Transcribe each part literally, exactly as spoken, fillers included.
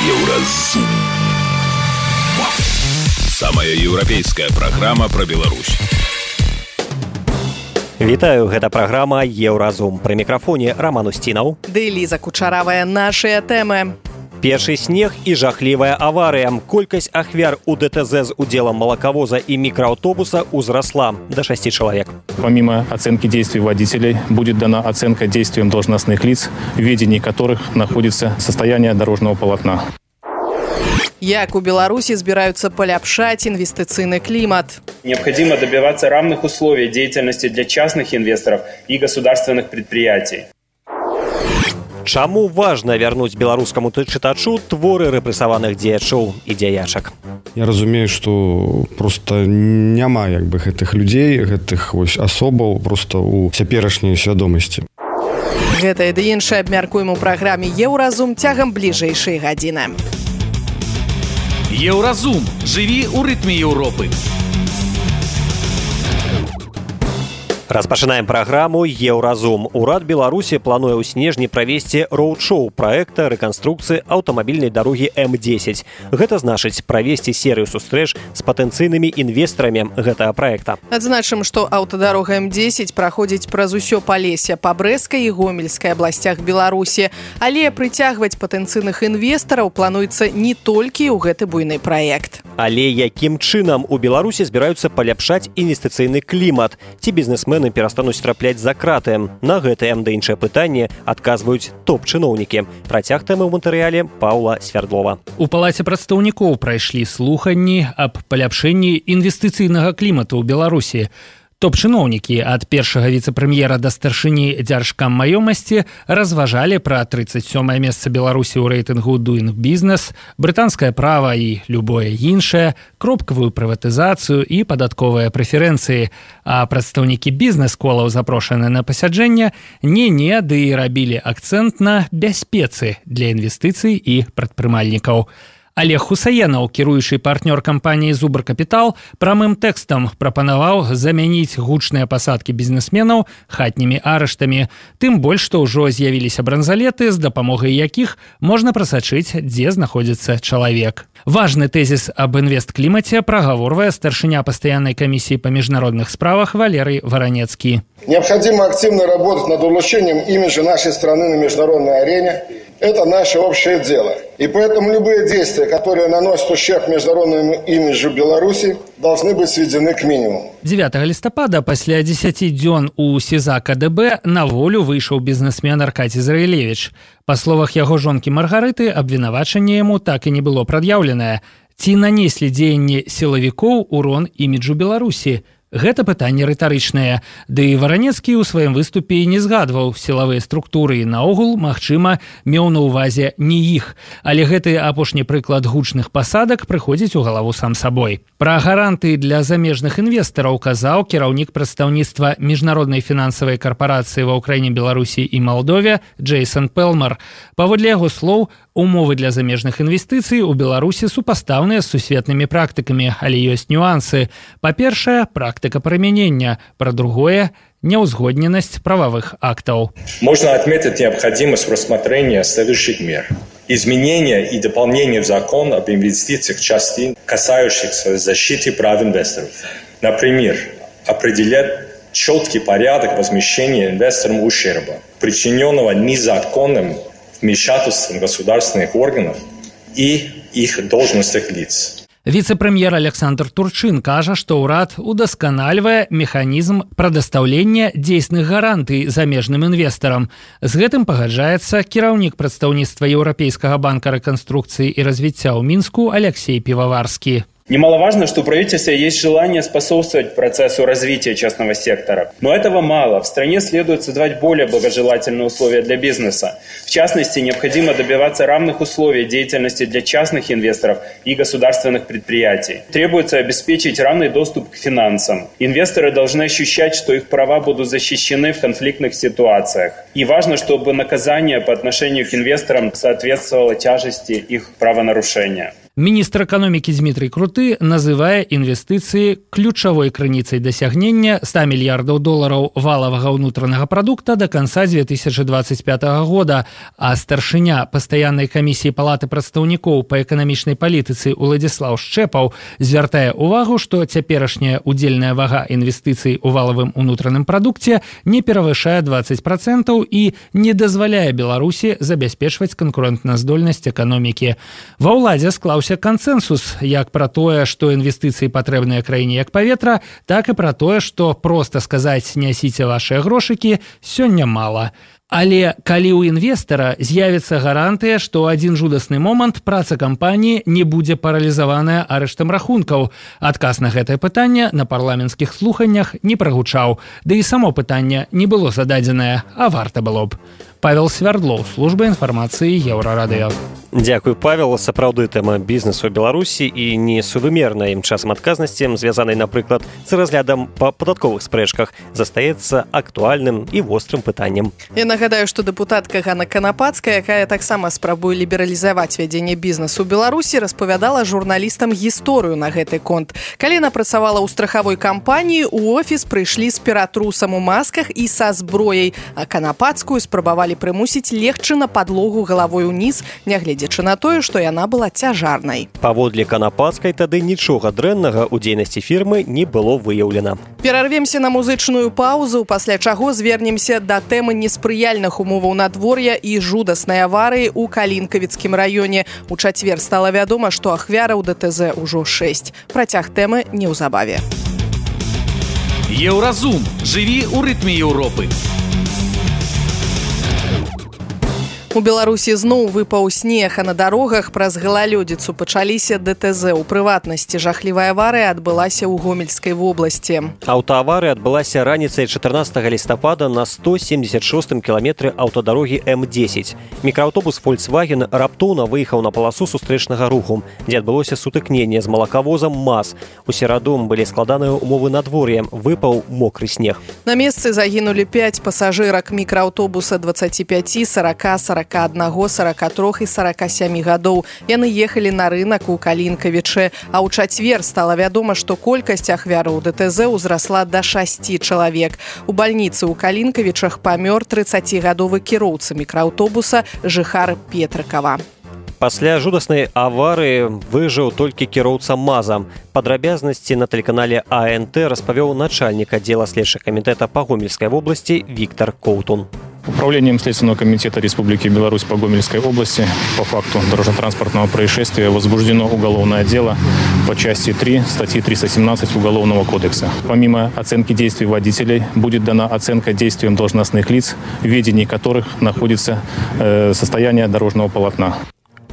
Еўразум. Самая еўрапейская праграма пра Беларусь. Вітаю, гэта праграма Еўразум. Пры мікрафоне Роман Устінаў. Ды Ліза Кучаравая, нашыя тэмы. Першы снег і жахлівая аварыя. Колькасць ахвяр у ДТЗ з удзелам молоковоза и микроавтобуса узросла до шести человек. Помимо оценки действий водителей, будет дана оценка действиям должностных лиц, в ведении которых находится состояние дорожного полотна. Як у Беларуси збираются поляпшать инвестиционный климат? Необходимо добиваться равных условий деятельности для частных инвесторов и государственных предприятий. Чаму важна вярнуць беларускаму чытачу творы рэпрэсаваных дзеячоў і дзеячак? Я разумею, што проста няма як бы гэтых людзей, гэтых вось асобаў проста ў цяперашняй свядомасці. Гэта і ды іншае абмяркуем у праграме Еўразум цягам бліжэйшай гадзіны. Еўразум. Жыві ў рытме Еўропы. Распачынаем праграму Еўразум. Урад Беларусі плануе ў снежні правесці роуд-шоу праекта рэканструкцыі аўтамабільнай дарогі эм дзесяць. Гэта значыць правесці серыю сустрэч з патэнцыйнымі інвестарамі гэтага праекта. Адзначым, што аўтадарога эм дзесяць праходзіць праз усё Палессе па Брэсцкай і Гомельскай абласцях Беларусі. Але прыцягваць патэнцыйных інвестараў плануецца не толькі ў гэты буйны праект. Але якім чынам у Беларусі збіраюцца паляпшаць інвестыцыйны клімат? Ці бізнесмены перастануць трапляць за краты? На гэтае ды іншае пытанне адказваюць топ-чыноўнікі. Працяг тэмы ў матэрыяле Паўла Свярдлова. У Палаце прадстаўнікоў прайшлі слуханні аб паляпшэнні інвестыцыйнага клімату ў Беларусі. Топ-чыноўнікі ад першага віцэ-прэм'ера да старшыні дзяржкаммаёмасці разважалі пра трыццаць сёмае месца Беларусі ў рэйтынгу Doing Business, брытанскае права і любое іншае, кропкавую прыватызацыю і падатковыя прэферэнцыі. А прадстаўнікі бізнес-колаў, запрошаныя на пасяджэнне, не-не, ды і рабілі акцэнт на бяспецы для інвестыцый і прадпрымальнікаў. Олег Хусаенаў, кіруючы партнёр кампаніі «Зубр Капітал», прамым тэкстам прапанаваў замяніць гучныя пасадкі бізнесменаў хатнімі арыштамі. Тым больш, што ўжо з'явіліся бранзалеты, з дапамогай якіх можна прасачыць, дзе знаходзіцца чалавек. Важны тэзіс аб інвестклімаце прагаворвае старшыня пастаяннай камісіі па міжнародных справах Валерый Воронецкий. Необходимо активно работать над улучшением имиджа нашей страны на международной арене. Это наше общее дело. И поэтому любые действия, которые наносят ущерб международному имиджу Беларуси, должны быть сведены к минимуму. дзевятага лістапада пасля дзесяці дзён у СІЗА КДБ на волю выйшаў бізнесмен Аркадзій Зраілевіч. Па словах яго жонкі Маргарыты, абвінавачанне яму так і не было прад'яўленае. Ці нанеслі дзеянні сілавікоў урон іміджу Беларусі? Гэта пытанне рытарычнае. Ды і Воронецкі ў сваім выступе не згадваў сілавыя структуры і наогул, магчыма, меў на ўвазе не іх. Але гэты апошні прыклад гучных пасадак прыходзіць у галаву сам сабой. Пра гаранты для замежных інвестараў казаў кіраўнік прадстаўніцтва міжнароднай фінансавай карпорацыі ва ўкраіне, Беларусі і Малдове Джейсон Пелмар. Паводле яго слоў, умовы для замежных інвестыцый у Беларусі супастаўныя з сусветнымі практыкамі, але ёсць нюансы. Па-першае, практыка прымянення. Пра другое – неузгодненность правовых актов. Можно отметить необходимость рассмотрения следующих мер. Изменения и дополнения в закон об инвестициях частей, касающихся защиты прав инвесторов. Например, определять четкий порядок возмещения инвесторам ущерба, причиненного незаконным вмешательством государственных органов и их должностных лиц. Віцэ-прэм'ер Александр Турчин кажа, што ўрад удасканальвае механізм прадастаўлення дзейсных гарантый замежным інвестарам. З гэтым пагаджаецца кіраўнік прадстаўніцтва Еўрапейскага банка рэканструкцыі і развіцця ў Мінску Алексей Пивоварский. Немаловажно, что у правительства есть желание способствовать процессу развития частного сектора. Но этого мало. В стране следует создавать более благожелательные условия для бизнеса. В частности, необходимо добиваться равных условий деятельности для частных инвесторов и государственных предприятий. Требуется обеспечить равный доступ к финансам. Инвесторы должны ощущать, что их права будут защищены в конфликтных ситуациях. И важно, чтобы наказание по отношению к инвесторам соответствовало тяжести их правонарушения. Міністр эканомікі Дмітрый Круты называе інвестыцыі ключавой крыніцай дасягнення ста мільярдаў долараў валавага ўнутранага прадукта да канца две тысячи двадцать пятого года, а старшыня пастаяннай камісіі палаты прадстаўнікоў па эканамічнай палітыцы Уладзіслаў Шчэпаў звяртае ўвагу, што цяперашняя удзельная вага інвестыцый у валавым унутраным прадукце не перавышае двадцать процентаў і не дазваляе Беларусі забяспечваць канкурэнтназдольнасць эканомікі. Ва ўладзе склаўся кансенсус як пра тое, што інвестыцыі патрэбныя краіне як паветра, так і пра тое, што проста сказаць «нясіце вашыя грошыкі» сёння мала. Але калі ў інвестара з'явіцца гарантыя, што ў адзін жудасны момант праца кампаніі не будзе паралізаваная арыштам рахункаў. Адказ на гэтае пытанне на парламенцкіх слуханнях не прагучаў. Ды і само пытанне не было зададзенае, а варта было б. Павел Свярдлоў, служба інфармацыі Еўрарадыё. Дзякуй, Павел. Сапраўды тэма бізнесу ў Беларусі і несувымерная ім часам адказнасці, звязанай, напрыклад, з разглядам па падатковых спрэчках, застаецца актуальным і вострым пытаннем. Я нагадаю, што дэпутатка Ганна Канапацкая, якая таксама спрабуе лібералізаваць вядзенне бізнесу ў Беларусі, распавядала журналістам гісторыю на гэты конт. Калі яна працавала ў страхавой кампаніі, у офіс прыйшлі з піратрусам у масках і са зброяй, а Канапацкую спрабавалі прымусіць легчы на падлогу галавой уніз, нягледзячы на тое, што яна была цяжарнай. Паводле Канапацкай тады нічога дрэннага ў дзейнасці фірмы не было выяўлена. Перарвемся на музычную паузу, пасля чаго звернемся да тэмы неспрыяльных умоваў надвор'я і жудаснай аварыі ў Калінкавіцкім раёне. У чацвер стала вядома, што ахвяраў ДТЗ ўжо шэсць. Працяг тэмы неўзабаве. Еўразум. Жыві ў рытме Еўропы. У Беларусі зноў выпаў снег, а на дарогах праз галалёдзіцу пачаліся ДТЗ. У прыватнасці жахлівая аварыя адбылася ў Гомельскай вобласці. Аўтааварыя адбылася раніцай чатырнаццатага лістапада на сто семьдесят шостым кіламетры аўтадарогі эм дзесяць. Мікрааўтобус Volkswagen раптоўна выехаў на паласу сустрэчнага руху, дзе адбылося сутыкненне з малакавозам МАЗ. У сераду былі складаныя умовы надвор'я, выпаў мокры снег. На месцы загінулі пяць пасажырак мікрааўтобуса дваццаці пяці, сарака, сарака аднаго, сарака трох і сарака сямі гадоў. Яны ехалі на рынак у Калінкавічы, а ў чацвер стала вядома, што колькасць ахвяраў ДТЗ ўзрасла да шасці чалавек. У бальніцы ў Калінкавічах памёр трыццацігадовы кіроўца мікрааўтобуса жыхар Петрыкава. Пасля жудаснай аварыі выжыў толькі кіроўца МАЗа. Падрабязнасці на тэлеканале А Н Т распавёў начальнік аддзела следчага камітэта па Гомельскай вобласці Віктор Коўтун. Управлением Следственного комитета Республики Беларусь по Гомельской области по факту дорожно-транспортного происшествия возбуждено уголовное дело по части три статьи триста семнадцать Уголовного кодекса. Помимо оценки действий водителей будет дана оценка действиям должностных лиц, в ведении которых находится э, состояние дорожного полотна.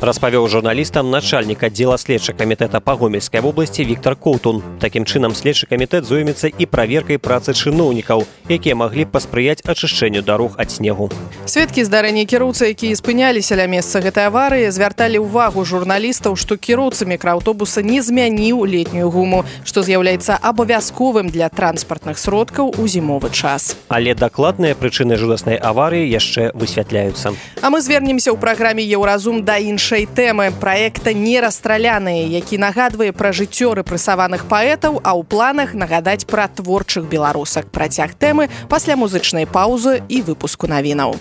Распавёў журналістам начальнік аддзела следчага камітэта па Гомельскай вобласці Віктор Коўтун. Такім чынам следчы камітэт зоймецца і праверкай працы чыноўнікаў, якія маглі паспрыяць ачышчэнню дарог ад снегу. Сведкі здарэння кіроўцы, якія спыняліся ля месца гэтай аварыі, звярталі ўвагу журналістаў, што кіроўца мікрааўтобуса не змяніў летнюю гуму, што з'яўляецца абавязковым для транспартных сродкаў у зімовы час. Але дакладныя прычыны жудаснай аварыі яшчэ высвятляюцца. А мы звернемся ў праграме «Еўразум» да іншай тэмы праекта «Нерастраляныя», які нагадвае пра жыццё рэпрэсаваных паэтаў, а ў планах нагадаць пра творчых беларусак. Працяг тэмы пасля музычнай паўзы і выпуску навінаў.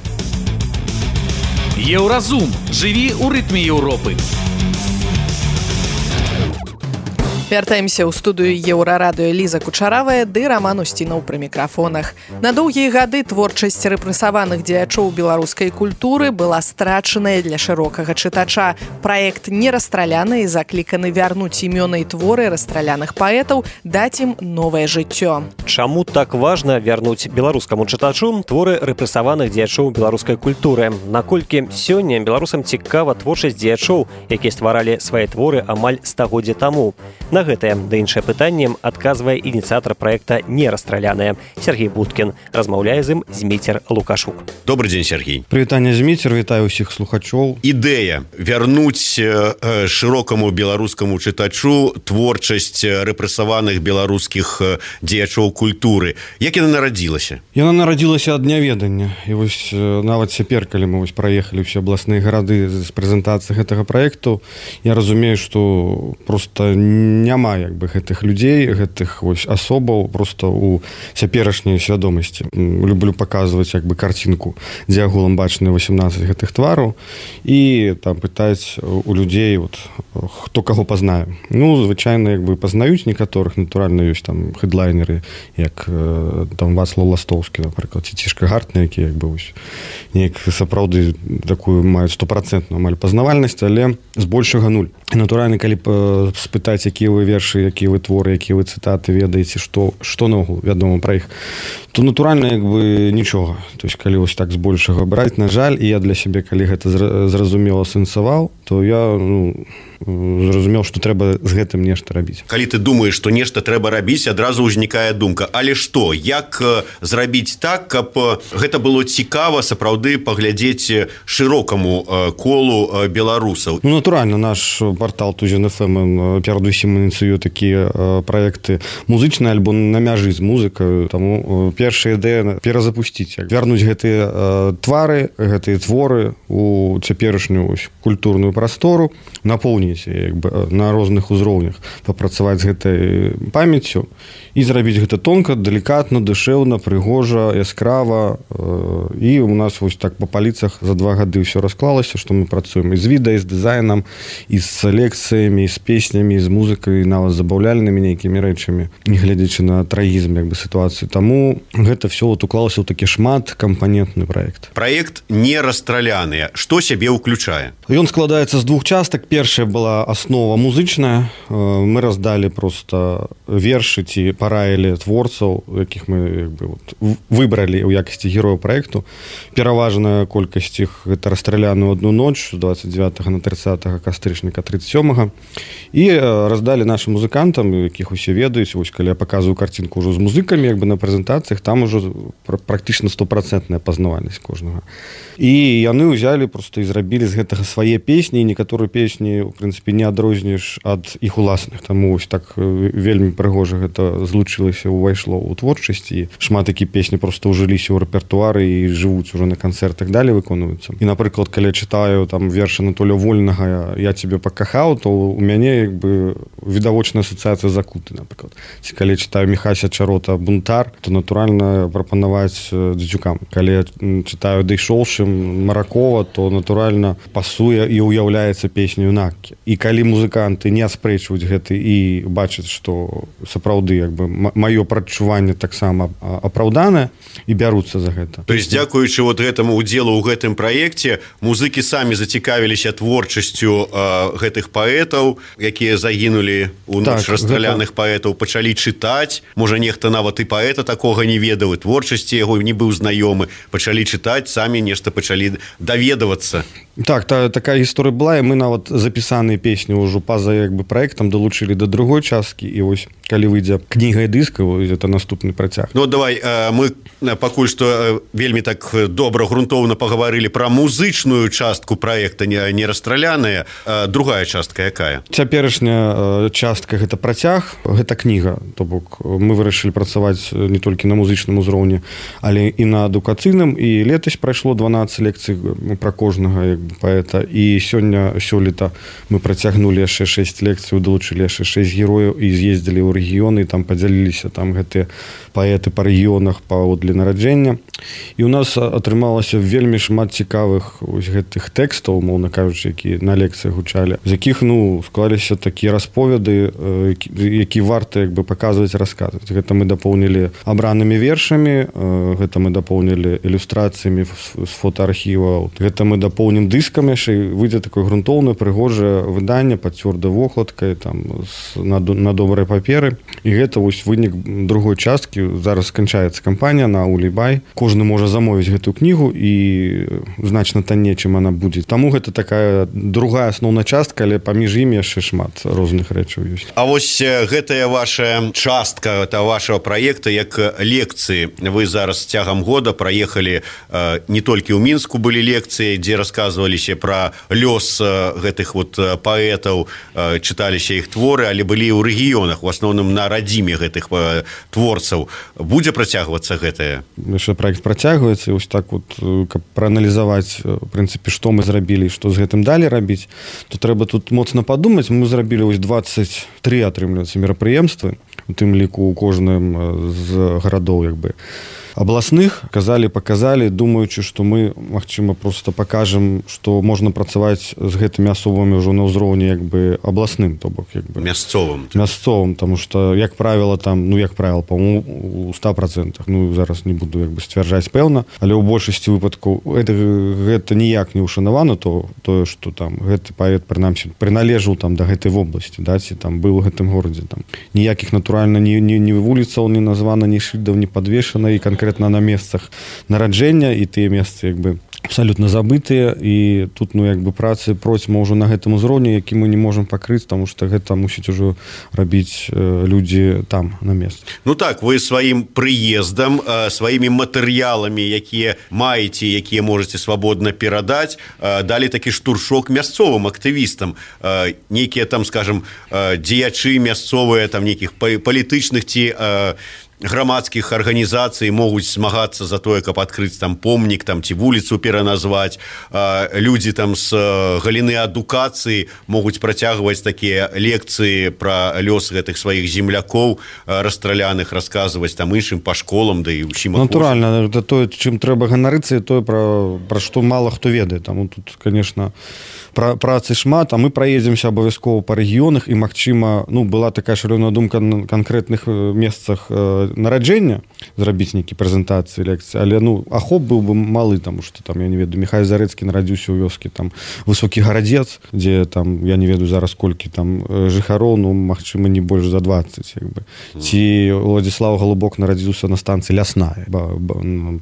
Еўразум. Жыві ў рытме Еўропы. Вяртаемся ў студыю Еўрарадыё. Ліза Кучаравая ды Раман Усцінаў пры мікрафонах. На доўгія гады творчасць рэпрэсаваных дзеячоў беларускай культуры была страчаная для шырокага чытача. Праект «Нерастраляныя» закліканы вярнуць імёны і творы расстраляных паэтаў, даць ім новае жыццё. Чаму так важна вярнуць беларускаму чытачу творы рэпрэсаваных дзеячоў беларускай культуры? Наколькі сёння беларусам цікава творчасць дзеячоў, якія стваралі свае творы амаль стагоддзя таму? На На гэтае ды іншае пытанне адказвае ініцыятар праекта «Нерастраляная» Сергей Будкин. Размаўляе з ім Зміцер Лукашук. Добрый день, Сергей. Прывітанне, Зміцер, вітаю ўсіх слухачоў. Ідэя вярнуць э, шырокаму беларускаму чытачу творчасць рэпрэсаваных беларускіх дзеячоў культуры. Як яна нарадзілася? Яна нарадзілася ад няведання. І вось нават цяпер, калі мы вось праехалі ўсе абласныя гарады з прэзентацыі гэтага праекту, я разумею, што просто няма як бы гэтых людзей, гэтых вось асобаў просто у цяперашняй свядомасці. Люблю паказваць як бы карцінку, дзе агулам бачныя васемнаццаць гэтых твараў і там пытаць у людзей вот, хто каго пазнае. Ну, звычайна як бы пазнаюць некаторых, натуральна ёсць там хедлайнеры, як там Вацлаў Ластовскі, напрыклад, ці Цішка Гартна, які як бы вось неяк сапраўды такую маюць стопрацэнтную амаль пазнавальнасць, але збольшага нуль. Натуральна, калі спытаць, якія вы вершы, якія вы творы, якія вы цытаты ведаеце, што, што наогул вядома пра іх, то натуральна як бы нічога. То есть калі вось так збольшага браць, на жаль, і я для сябе, калі гэта зразумела сэнсаваў, то я ну, зразумеў, што трэба з гэтым нешта рабіць. Калі ты думаеш, што нешта трэба рабіць, адразу ўзнікае думка, але што, як зрабіць так, каб гэта было цікава сапраўды паглядзець шырокаму колу беларусаў? Ну, натуральна, наш портал Тузін эф эм перадусім ініцыюе такія праекты, музычны альбом на мяжы з музыкаю, таму першая ідэя перазапусціць, вярнуць гэтыя твары, гэтыя творы у цяперашнюю культурную прастору, напоўніць як бы на розных узроўнях, папрацаваць з гэтай памяццю і зрабіць гэта тонка, далікатна, душэўна, прыгожа, яскрава. І у нас вось так па паліцах за два гады ўсё расклалася, што мы працуем і з відэа, і з дызайнам, і з лекцыямі, і з песнямі, і з музыкай, нават забаўляльнымі нейкімі рэчамі, не глядзячы на трагізм як бы сітуацыі. Таму гэта ўсё вот уклалася ў такі шматкампанентны праект. Праект «Нерастраляныя». Што сябе ўключае? Ён складаецца з двух частак. Першая была аснова музычная. Мы раздалі проста вершы ці параілі творцаў, якіх мы як бы, вот, выбралі ў якасці герояў праекту. Пераважная колькасць іх гэта «Расстраляны ў адну ноч» з двадцать девятого на тридцатого кастрычніка тридцать сёмага. І раздалі нашим музыкантам, якіх усе ведаюць. Вось, калі я паказваю карцінку ўжо з музыкамі як бы на прэзентацыях, там ужо практычна стопрацэнтная пазнавальнасць кожнага. І яны ўзялі просто і зрабілі з гэтага свае песні, і некаторыя песні, у прынцыпе, не адрознішь ад іх уласных. Таму вось так вельмі прыгожа гэта злучылася, увайшло ў творчасць, і шмат такі песні просто ўжыліся ў рэпертуары і жывуць ужо на канцэртах, далей выконваюцца. І, напрыклад, калі я чытаю там верш Анатолія Вольнага «Я цябе пакахаў», то у мяне як бы відавочная асацыяцыя «Закуты», напрыклад. Ці калі чытаю Міхася Чарота «Бунтар», то натуральна прапанаваць дзецюкам. Калі я чытаю «Дайшоўшым» Маракова, то натуральна пасуе і уяўляецца песню «Наккі». І калі музыканты не аспрэчваюць гэта і бачаць, што сапраўды як бы маё прадчуванне таксама апраўданае і бяруцца за гэта. То есть дзякуючы вот гэтаму удзелу ў гэтым праекце музыкі самі зацікавіліся творчасцю э, гэтых паэтаў, якія загінулі у ноч так, расстраляных гэта... паэтаў, пачалі чытаць. Можа, нехта нават і паэта такога не ведаў, і творчасці яго не быў знаёмы, пачалі чытаць, самі нешта пачалі даведавацца. Так, та, такая гісторыя была, і мы нават запісаныя песні ўжо па-за як бы праектам далучылі да другой часткі, і вось калі выйдзе кніга і дыска, это наступны працяг. Ну давай, мы пакуль што вельмі так добра, грунтоўна пагаварылі пра музычную частку праекта «Нерастраляныя». Другая частка якая? Цяперашняя частка гэта працяг, гэта кніга. То бок мы вырашылі працаваць не толькі на музычным узроўні, але і на адукацыйным, і летась прайшло дванаццаць лекцый пра кожнага як бы паэта, і сёння сёлета мы працягнулі яшчэ шэсць лекцый, далучылі яшчэ шэсць герояў і з'ездзілі ў рэгіёны, там падзяліліся там гэтыя паэты па рэгіёнах паводле нараджэння. І ў нас атрымалася вельмі шмат цікавых ось гэтых тэкстаў, умоўна кажучы, які на лекцыях гучалі, з якіх ну склаліся такія расповеды, які варта як бы паказваць, расказваць. Гэта мы дапоўнілі абранымі вершамі, гэта мы дапоўнілі ілюстрацыямі з фотоархіваў, гэта мы дапоўнім дыскамі дыскам яшчэ выйдзе такое грунтоўнае прыгожае выданне пад цвёрдай вокладкай там на, на добрай паперы і гэта вось вынік другой часткі. Зараз сканчаецца кампанія на Улібай, кожны можа замовіць гэтую кнігу і значна танней, чым она будзе. Таму гэта такая другая асноўная частка, але паміж імі яшчэ шмат розных рэчаў ёсць. А вось гэтая ваша частка та вашего праекта як лекцыі. Вы зараз цягам года праехалі не толькі ў Мінску былі лекцыі, дзе расказваліся пра лёс гэтых вот паэтаў, чыталіся іх творы, але былі ў рэгіёнах, у асноўным на радзіме гэтых творцаў. Будзе працягвацца гэтае? Яшчэ праект працягваецца, і вось так вот, каб прааналізаваць, в прынцыпе, што мы зрабілі і што з гэтым далей рабіць, то трэба тут моцна падумаць. Мы зрабілі вось двадцать три, атрымліваецца, мерапрыемствы, у тым ліку у кожным з гарадоў, як бы, абласных. Казалі, паказалі, думаючы, што мы, магчыма, просто пакажам, што можна працаваць з гэтымі асобамі ўжо на ўзроўні, як бы, абласным, то бок, як бы, мясцовым. Мясцовым, таму што, як правіла, там, ну, як правіла, па-моему, у ста процентах, ну, зараз не буду, як бы, сцвярджаць пэўна, але ў большасці выпадкаў гэта, гэта ніяк не ўшанавана, то, тое, што там гэты паэт, прынамсі, прыналежаў там да гэтай вобласці, да, ці там быў у гэтым горадзе, там, ніякіх, натуральна, ні, ні, ні вуліцаў не названа, ні шыльдаў не падвешана, і конкретно на месцах нараджэння, і тыя месцы, як бы, абсалютна забытыя, і тут, ну, як бы, працы процьма ўжо на гэтым узроўні, які мы не можам пакрыць, таму што гэта мусіць ужо рабіць э, людзі там, на месцы. Ну так, вы сваім прыездам, э, сваімі матэрыяламі, якія маеце, якія можаце свабодна перадаць, э, далі такі штуршок мясцовым актывістам. Э, нейкія там, скажем, э, дзеячы мясцовыя, там, нейкіх палітычных ці э, грамадскіх арганізацый могуць змагацца за тое, каб адкрыць там помнік, там, ці вуліцу пераназваць. Людзі там з галіны адукацыі могуць працягваць такія лекцыі пра лёс гэтых сваіх землякоў расстраляных, расказваць там іншым па школам, да і ўсім. Натуральна, гэта тое, чым трэба ганарыцца, і тое, пра, пра што мала хто ведае. Таму тут, конечно, пра, працы шмат, а мы праедземся абавязкова па рэгіёнах, і, магчыма, ну, была такая шалёная думка на канкрэтных месцах нараджэння зрабіць нейкі прэзентацыі, лекцыі, але, ну, ахоп быў бы малы, таму што там, я не ведаю, Міхай Зарэцкі нарадзіўся ў вёскі, там, Высокі Гарадзец, дзе там, я не ведаю зараз колькі там жыхароў, ну, магчыма, не больш за двадцать, як бы. Ці Владзіслаў Галубок нарадзіўся на станцыі Лясная,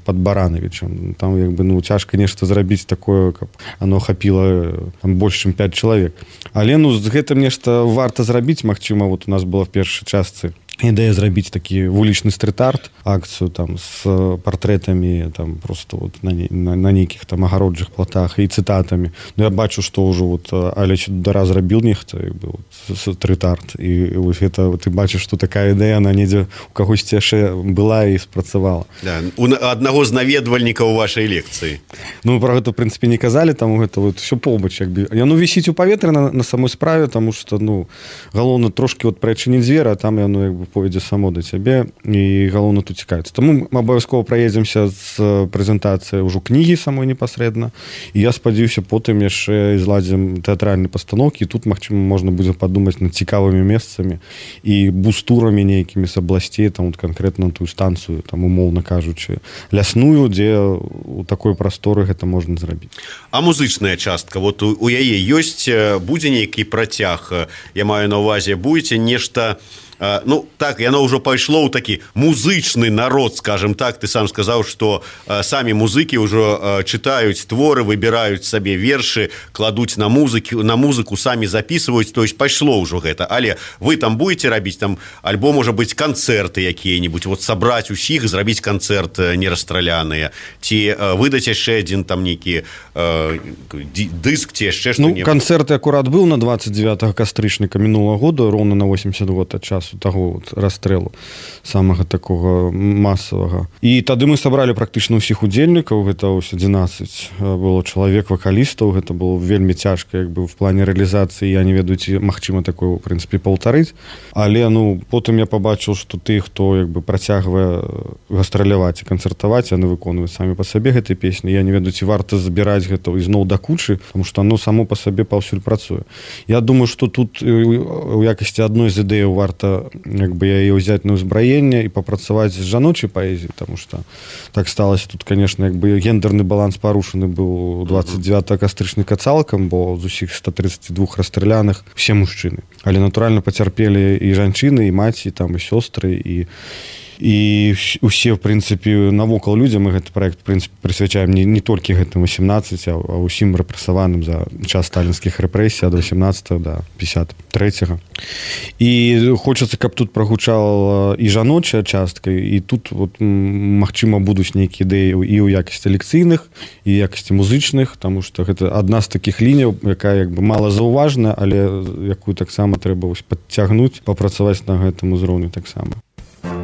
пад Баранавічам. Там, як бы, ну, цяжка нешта зрабіць такое, каб оно ахапіла там больш, чым пять чалавек. Але, ну, з гэтым нешта варта зрабіць, магчыма, вот у нас была в першай частцы ідэя зрабіць такі вулічны стрит-арт, акцыю там з партрэтамі, там просто вот на, на, на нейкіх там агароджых платах і цытатамі. Ну, я бачу, што ўжо вот Алеч Дара зрабіў нехта, як бы, вот, стрит-арт, і вось гэта ты бачыш, што такая ідэя, она недзе у кагосьці яшчэ была і спрацавала. Да, у аднаго з наведвальнікаў вашай лекцыі. Ну, пра гэта, в прынцыпе, не казалі, таму гэта вот ўсё побач, як бы. Яно вісіць у паветры на, на самой справе, таму што, ну, галоўна трошкі вот прыадчыніць дзверы, а там яно, як бы, пойдзе само да цябе, і галоўна тут цікавіцца. Таму мы абавязкова праедземся з прэзентацыяй ўжо кнігі самой непасрэдна, і я спадзяюся, потым яшчэ зладзім тэатральныя пастаноўкі, і тут, магчыма, можна будзе падумаць над цікавымі месцамі і бустурамі нейкімі з абласцей, там, вот, канкрэтна тую станцыю, там, умоўна кажучы, лясную, дзе у такой прасторы гэта можна зрабіць. А музычная частка, вот у, у яе ёсць, будзе нейкі працяг, я маю на ўвазе, будзе нешта. Ну, так, яно ўжо пайшло ў такі музычны народ, скажем так. Ты сам сказаў, што э, самі музыкі ўжо э, чытаюць творы, выбіраюць сабе вершы, кладуць на музыку, на музыку, самі записываюць, то есть пайшло ўжо гэта. Але вы там будете рабіць там, альбо, можа быць, канцэрты якія-небудзь, вот сабраць усіх, зрабіць канцэрт нерасстраляныя, ці э, выдаць яшчэ адзін там нейкі э, дыск, ці яшчэ што-небудзь. Ну, канцэрт акурат быў на двадцать девятого кастрычніка мінулага года, роўна на восемьдесят год ад часу таго вот расстрэлу самага такога масавага. І тады мы сабралі практычна ўсіх удзельнікаў, гэта ось адзінаццаць было чалавек вакалістаў, гэта было вельмі цяжка, як бы, в плане рэалізацыі, я не ведаю, ці магчыма такое, в прынцыпе, паўтарыць, але, ну, потым я пабачыў, што ты, хто, як бы, працягвае гастраляваць і канцэртаваць, яны выконваюць самі па сабе гэтай песні, я не ведаю, ці варта збіраць гэта ізноў да кучы, таму што оно само па сабе паўсюль працуе. Я думаю, што тут у якасці адной з ідэяў варта як бы яе ўзяць на ўзбраенне і папрацаваць з жаночай паэзіяй, потому что так сталася тут, конечно, як бы гендерны баланс парушаны быў двадцать девятого кастрычніка цалкам, бо з усіх ста тридцати двух расстраляных все мужчыны, але натуральна пацярпелі і жанчыны, і маці, там і сёстры, і і усе, в прынцыпе, навокал людзям, мы гэты праект, в прынцыпе, прысвячаем не, не толькі гэтым восемнадцати, а ўсім рэпрэсаваным за час сталінскіх рэпрэсій ад восемнадцатого да пятьдесят третьего. І хочацца, каб тут прагучала і жаночая частка, і тут, вот, магчыма, будуць нейкія ідэі і ў якасці лекцыйных, і якасці музычных, таму што гэта адна з такіх ліняў, якая, як бы, мала заўважная, але якую таксама трэба падцягнуць, папрацаваць на гэтым узроўні таксама.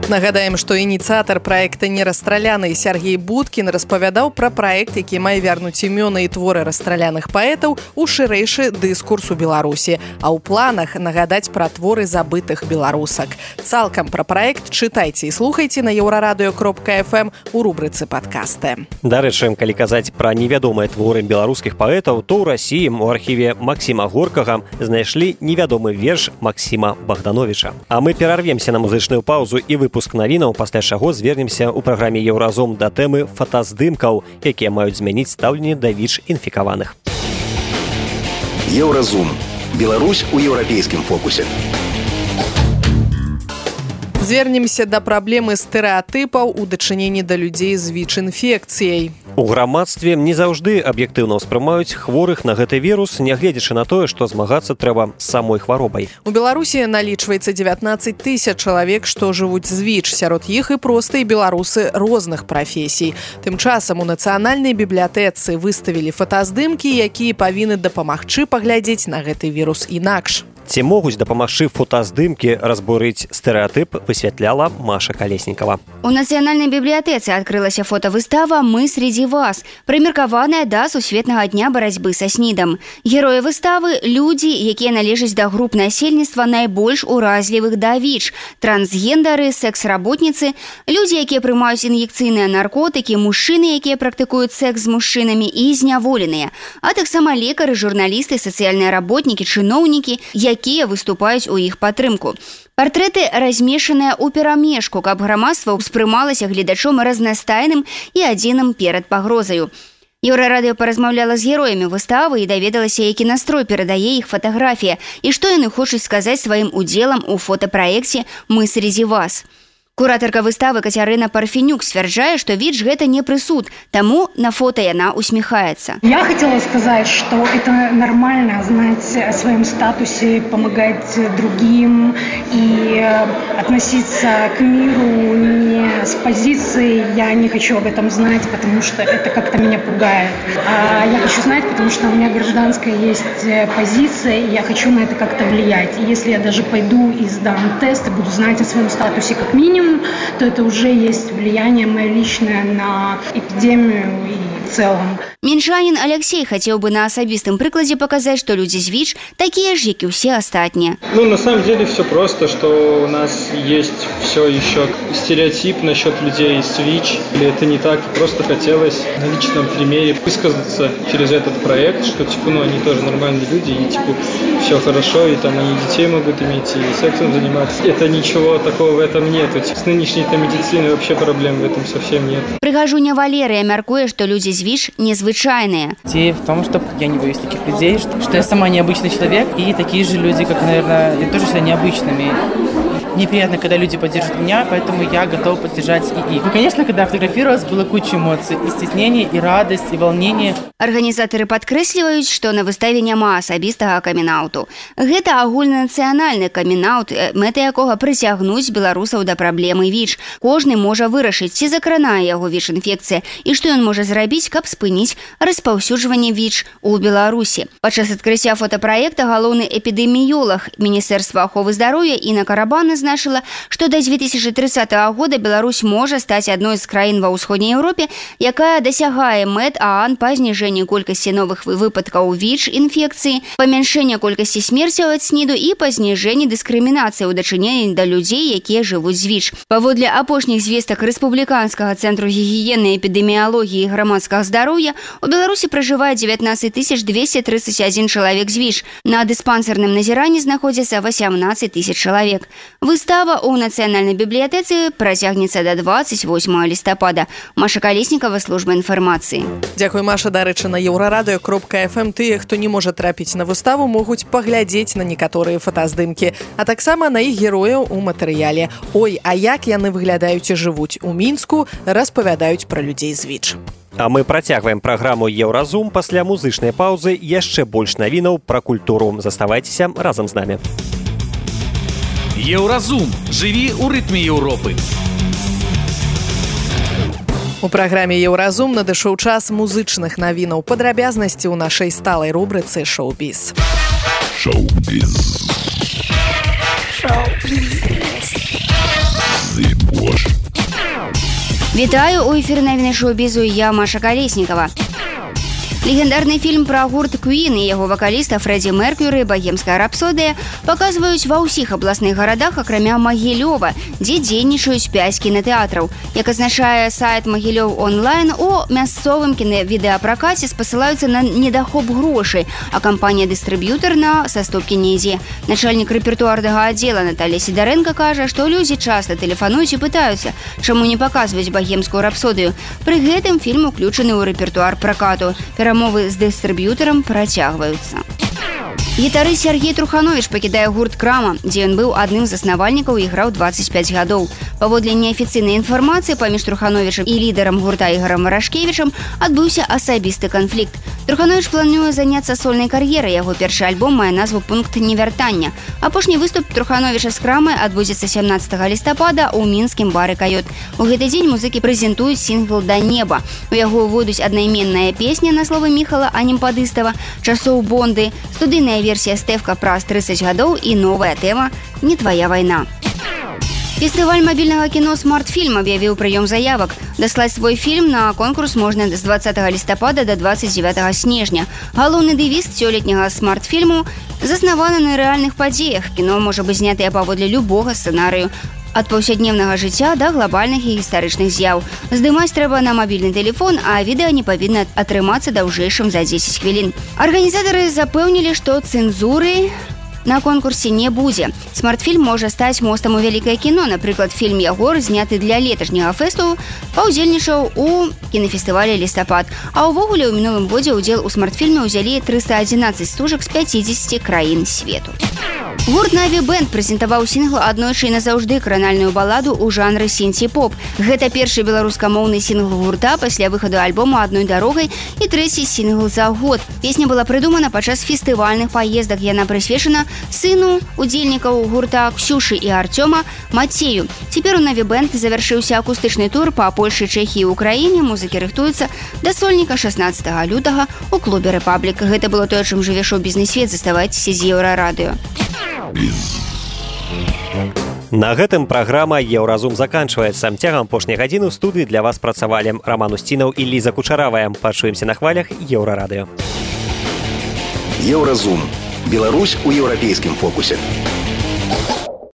Нагадаем, што ініцыятар праекта «Нерастраляны» Сергей Будкін распавядаў пра праект, які мае вярнуць імёны і творы расстраляных паэтаў у шырэйшы дыскурс у Беларусі, а ў планах нагадаць пра творы забытых беларусак. Цалкам пра праект чытайце і слухайце на еўрарадыё кропка эф эм у рубрыцы «Падкасты». Дарэчы, калі казаць пра невядомыя творы беларускіх паэтаў, то ў Расіі у архіве Максіма Горкага знайшлі невядомы верш Максіма Богдановича. А мы перарвемся на музычную паузу і выпуск навінаў, пасля чаго звернемся ў праграме «Еўразум» да тэмы фотаздымкаў, якія маюць змяніць стаўленне да ВІЧ-інфікаваных. Еўразум. Беларусь у еўрапейскім фокусе. Звернемся да праблемы стэрэатыпаў у дачыненні да людзей з ВІЧ-інфекцыяй. У грамадстве не заўжды аб'ектыўна ўспрымаюць хворых на гэты вірус, нягледзячы на тое, што змагацца трэба з самой хваробай. У Беларусі налічваецца дзевятнаццаць тысяч чалавек, што жывуць з ВІЧ. Сярод іх і простыя беларусы розных прафесій. Тым часам у нацыянальнай бібліятэцы выставілі фотаздымкі, якія павінны дапамагчы паглядзець на гэты вірус інакш. Ці могуць дапамагчы фотаздымкі разбурыць стэрэатып, высвятляла Маша Колесникова. У нацыянальнай бібліятэцы адкрылася фотавыстава «Мы среди вас», прымеркаваная да сусветнага дня барацьбы са снідам. Героі выставы – людзі, якія належаць да груп насельніцтва найбольш уразлівых да ВІЧ, трансгендары, секс-работніцы, людзі, якія прымаюць ін'екцыйныя наркотыкі, мужчыны, якія практыкуюць секс з мужчынамі і зняволеныя, а таксама лекары, журналісты, сацыяльныя работнікі, чыноўнікі, якія выступаюць у іх падтрымку. Партрэты размешаныя ў перамешку, каб грамадства ўспрымалася гледачом разнастайным і адзіным перад пагрозаю. Еўрарадыё паразмаўляла з героямі выставы і даведалася, які настрой перадае іх фатаграфія і што яны хочуць сказаць сваім удзелам у фотапраекце «Мы среди вас». Куратарка выставы Кацярына Парфенюк сцвярджае, што ВІЧ гэта не прысуд, таму на фото яна усмехается. Я хотела сказать, что это нормально знать о своем статусе, помогать другим и относиться к миру не с позиции «я не хочу об этом знать, потому что это как-то меня пугает». А я хочу знать, потому что у меня гражданская есть позиция, и я хочу на это как-то влиять. И если я даже пойду и сдам тест и буду знать о своем статусе как минимум, то это уже есть влияние мое личное на эпидемию и в целом. Менчанин Алексей хотел бы на особистом прикладе показать, что люди с ВИЧ такие же, как и все остальные. Ну, на самом деле все просто, что у нас есть все еще стереотип насчет людей с ВИЧ. Или это не так, просто хотелось на личном примере высказаться через этот проект, что типа, ну, они тоже нормальные люди, и типа все хорошо, и там они детей могут иметь, и сексом заниматься. Это ничего такого в этом нету. С нынешней-то медициной вообще проблем в этом совсем нет. Прыгажуня Валерия мяркуе, что люди с ВИЧ незвычайные. Идея в том, что я не боюсь таких людей, что, что я сама необычный человек, и такие же люди, как, наверное, я тоже считаю необычными. Мне приятно, когда люди поддерживают меня, поэтому я готова поддержать и их. Ну, конечно, когда фотографировалась, было куча эмоций. И стеснение, и радость, и волнение. Арганізатары падкрэсліваюць, што на выставе няма асабістага камін-ауту. Гэта агульнанацыянальны камін-аут, мэта якога прыцягнуць беларусаў да праблемы ВІЧ. Кожны можа вырашыць, ці закранае яго ВІЧ-інфекцыя, і што ён можа зрабіць, каб спыніць распаўсюджванне ВІЧ у Беларусі. Падчас адкрыцця фотапраекта галоўны эпідэміёлаг Міністэрства аховы здароўя Інна Карабан значыла, што да дзве тысячы трыццатага года Беларусь можа стаць адной з краін ва ўсходняй Еўропе, якая дасягае мэт ААН па зніжэнні колькасці новых выпадкаў ВІЧ-інфекцыі, памяншэння колькасці смерцяў ад СНІДу і па зніжэнні дыскрымінацыі ў дачыненні да людзей, якія жывуць з ВІЧ. Паводле апошніх звестак Рэспубліканскага цэнтру гігіены, эпідэміялогіі і грамадскага здароўя, у Беларусі пражывае дзевятнаццаць тысяч дзвесце трыццаць адзін чалавек з ВІЧ. На дыспансерным назіранні знаходзіцца васямнаццаць тысяч чалавек. Выстава ў нацыянальнай бібліятэцы працягнецца да двадцать восьмага лістапада. Маша Калеснікава, служба інфармацыі. Дзякуй, Маша. Дарэчы, на еўрарадыё кропка эф эм тыя, хто не можа трапіць на выставу, могуць паглядзець на некаторыя фотаздымкі, а таксама на іх герояў у матэрыяле. Ой, а як яны выглядаюць і жывуць у Мінску, распавядаюць пра людзей з ВІЧ. А мы працягваем праграму «Еўразум». Пасля музычнай паўзы яшчэ больш навінаў пра культуру. Заставайцеся разам з намі. Еўразум. Жыві ў рытме Еўропы. У праграме «Еўразум» надышоў час музычных навінаў. Падрабязнасці ў нашай сталай рубрыцы «Шоу-біз». Шоу-біз. Шоу-біз. Зыбош. Вітаю, у эфіры навіны шоу-бізу, я Маша Калеснікава. Легендарны фільм пра гурт Queen і яго вакаліста Фрэдзі Меркьюры «Багемская рапсодыя» паказваюць ва ўсіх абласных гарадах, акрамя Магілёва, дзе дзейнічаюць пяць кінатэатраў. Як азначае сайт Магілёў онлайн, у мясцовым кінавідэапракаце спасылаюцца на недахоп грошай, а кампанія-дыстрыб'ютар на саступкі не ідзе. Начальнік рэпертуарнага аддзела Наталія Сідарэнка кажа, што людзі часта тэлефануюць і пытаюцца, чаму не паказваюць «Багемскую рапсодыю». Пры гэтым фільм уключаны ў рэпертуар пракату. Перамовы з дыстрыб'ютарам працягваюцца. Гітарыст Сергей Труханович пакідае гурт «Крама», дзе ён быў адным з заснавальнікаў і граў двадцать пять гадоў. Паводле неафіцыйнай інфармацыі паміж Трухановичам і лідарам гурта Ігорам Варашкевічам адбыўся асабісты канфлікт. Труханович плануе заняцца сольнай кар'ерай. Яго першы альбом мае назву «Пункт невяртання». Апошні выступ Трухановича з «Крамай» адбудзецца сямнаццатага лістапада ў мінскім бары «Кайот». У гэты дзень музыкі прэзентуюць сінгл «Да неба». У яго ўвойдуць аднайменная песня на словы Міхала Анімпадыстава «Часоў Бонды», студыйная версія «Стэвка» праз тридцать гадоў і новая тэма «Не твоя вайна». Фестываль мабільнага кіно «Смарт-фільм» аб'явіў прыём заявак. Даслаць свой фільм на конкурс можна з двадцатага лістапада да двадцать девятага снежня. Галоўны дэвіз сёлетняга «Смарт-фільму» заснаваны на рэальных падзеях. Кіно можа быць знятае паводле любога сцэнарыю. Ад паўсядневнага жыцця да глобальных і гістарычных з'яў. Здымаць трэба на мабільны тэлефон, а відэа не павінна атрымацца даўжэйшым за дзесяць хвілін. Арганізатары запэўнілі, што цэнзуры на конкурсе не будзе. «Смарт-фільм» можа стаць мостам у вялікае кіно. Напрыклад, фільм «Ягор», зняты для леташняга фэсту, паўдзельнічаў у кінафестывалі «Лістапад». А ўвогуле ў мінулым годзе ўдзел у «Смарт-фільме» ўзялі триста одиннадцать стужак з пятидесяти краін свету. Гурт «Наві Бэнд» прэзентаваў сінгл «Аднойчы і назаўжды» кранальную баладу ў жанры сінці-поп. Гэта першы беларускамоўны сінгл гурта пасля выхаду альбома «Адной дарогай» і трэці сінгл за год. Песня была прыдумана падчас фестывальных паездак. Яна прысвечана сыну удзельнікаў гурта Ксюшы і Артёма Мацею. Цяпер у «Наві Бэнд» завяршыўся акустычны тур па Польшы, Чэхіі і Украіне. Музыкі рыхтуюцца да сольніка шаснаццатага лютага ў клубе «Рэпаблік». Гэта было тое, чым жыве шоу-бізнес-свет. Заставайцеся з Еўрарадыё. На гэтым праграма «Еўразум» заканчваецца. Цягам апошняй гадзіны ў студыі для вас працавалі Раман Усцінаў і Ліза Кучаравая. Пачуемся на хвалях Еўрарадыё. Еўразум. Беларусь у еўрапейскім фокусе.